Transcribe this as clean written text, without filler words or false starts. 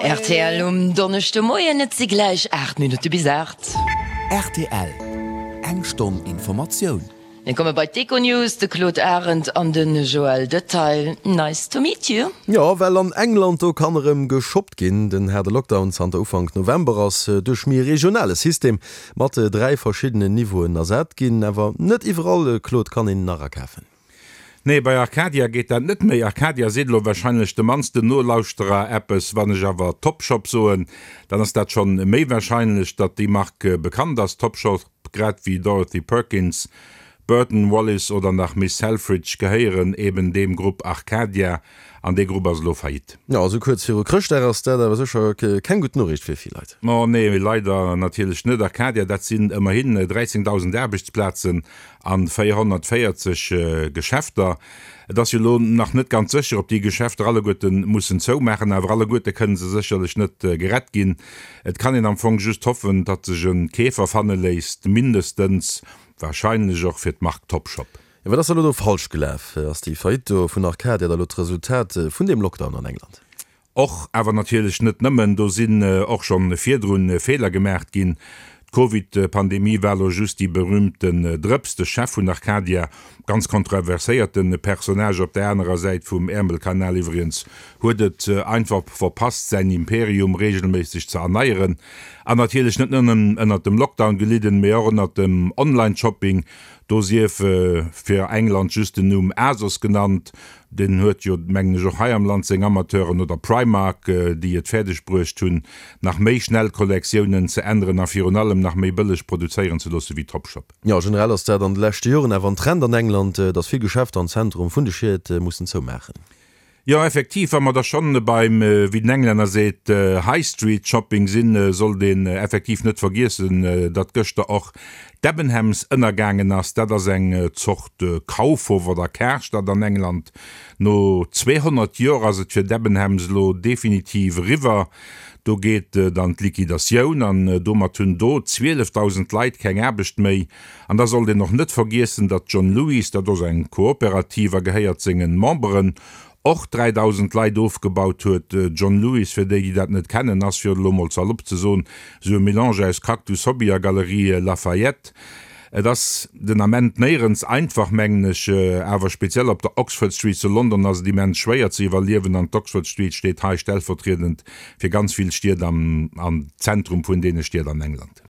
Rtl um Donneschdemoien, et si gläich 8 Minutte bis 8. Rtl, Eng Stonn Informatioun. Mir komme bei d'Econews, de Claude Arend an de Joël Detail. Nice to meet you. Jo, well an England, do kann erëm geshoppt ginn. Den haarde Lockdown zanter Ufank November ass duerch méi e regionale System mat 3 verschiddenen Niveauen ersat ginn. Awer net iwwerall, Claude, kann een nach akafen. Nee, bei Arcadia geet dat net méi. Arcadia seet elo warscheinlech de mannsten Nolauschterer eppes. Wann ech awer Topshop soen, dann ass dat schonn méi warscheinlech, datt déi Mark bekannt ass. Topshop, grad wéi Dorothy Perkins, Burton Wallis oder nach Miss Selfridge gehéieren eben deem Grupp Arcadia an dee Grupp ass elo faillite. Jo, esou kuerz viru Chrëschtdag ass dat awer sécher keng gutt Noriicht fir vill Leit. Ma nee, leider natierlech net. Arcadia, dat sinn ëmmerhin 13.000 Aarbechtsplazen an 440 Geschäfter. Et ass jo elo nach net ganz sécher, ob déi Geschäfter alleguerte mussen zoumaachen, awer alleguerte kënne se sécherlech net gerett ginn. Et kann een am Fong just hoffen, datt sech e Keefer fanne léisst, mindestens warscheinlech och fir d'Mark Topshop. Jo, wat ass da elo do falsch gelaf? Ass déi Faillite do vun Arcadia da elo d'Resultat vun deem Lockdown an England? Och, awer natierlech net nëmmen, do sinn och schonn virdrun Feeler gemaacht ginn. D'Covid-Pandemie war lo just déi berühmten Drëps. De Chef vun Arcadia, ganz kontroverséierte Personnage op der anerer Säit vum Äermelkanal iwwregens, huet et einfach verpasst säin Imperium reegelméisseg ze erneieren. An natierlech net nëmmen ënnert dem Lockdown gelidden, mee och ënnert dem Online-Shopping. Do sief fir England just den Numm Asos genannt. Deen huet jo, mengen ech, och hei am Land seng Amateuren, oder Primark, déi et fäerdeg bruecht hunn, nach méi schnell Kollektiounen ze änneren a virun allem nach méi bëlleg produzéieren ze loosse wéi Topshop. Jo, generell ass dat an de leschte Joren awer en Trend an England, datt vill Geschäfter am Zentrum vun de Schied mussen zoumaachen. Jo, effektiv, wa mer da schonn beim, wéi den Englänner seet, High Street Shopping sinn, sollt een effektiv net vergiessen, datt gëschter och Debenhams ënnergaangen ass. Dat ass eng Zort Kaufhof oder Karstadt an England. No 200 Joer ass et fir Debenhams elo definitiv eriwwer. Do geet et an d'Liquidatioun an domat hunn do 12.000 Leit keng Aarbecht méi. An da sollt een och net vergiessen, datt John Lewis, dat ass eng Kooperativ a gehéiert sengen Memberen, och 3.000 Leit ofgebaut huet. John Lewis, fir déi, déi dat net kennen, ass, fir et elo mol salopp ze soen, esou e Melange aus Cactus Hobby a Galerie Lafayette. Et ass den Ament néierens einfach, mengen ech, awer speziell op der Oxford Street zu London ass et immens schwéier ze iwwerliewen an d'Oxford Street steet hei stellvertriedend fir ganz vill Stied am Zentrum vun deene Stied an England.